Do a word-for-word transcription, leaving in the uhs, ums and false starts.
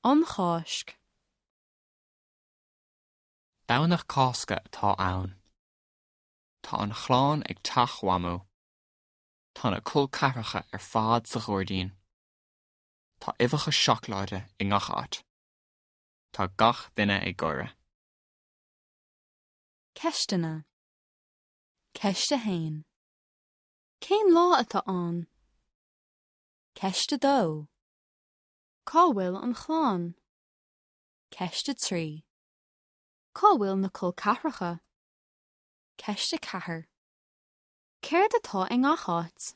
An Cháisc. Domhnach Cásca atá ann. Tá an chlann ag teach Mhamó. Tá na col ceathracha ar fad sa ghairdín. Tá uibheacha seacláide i ngach áit. Tá gach duine ag gáire. Ceisteanna. Ceist a haon. Cén lá atá ann? Ceist a dó. Cá bhfuil an chlann? Ceist a trí. Cá bhfuil na col ceathracha? Ceist a ceathair. Céard atá i ngach áit?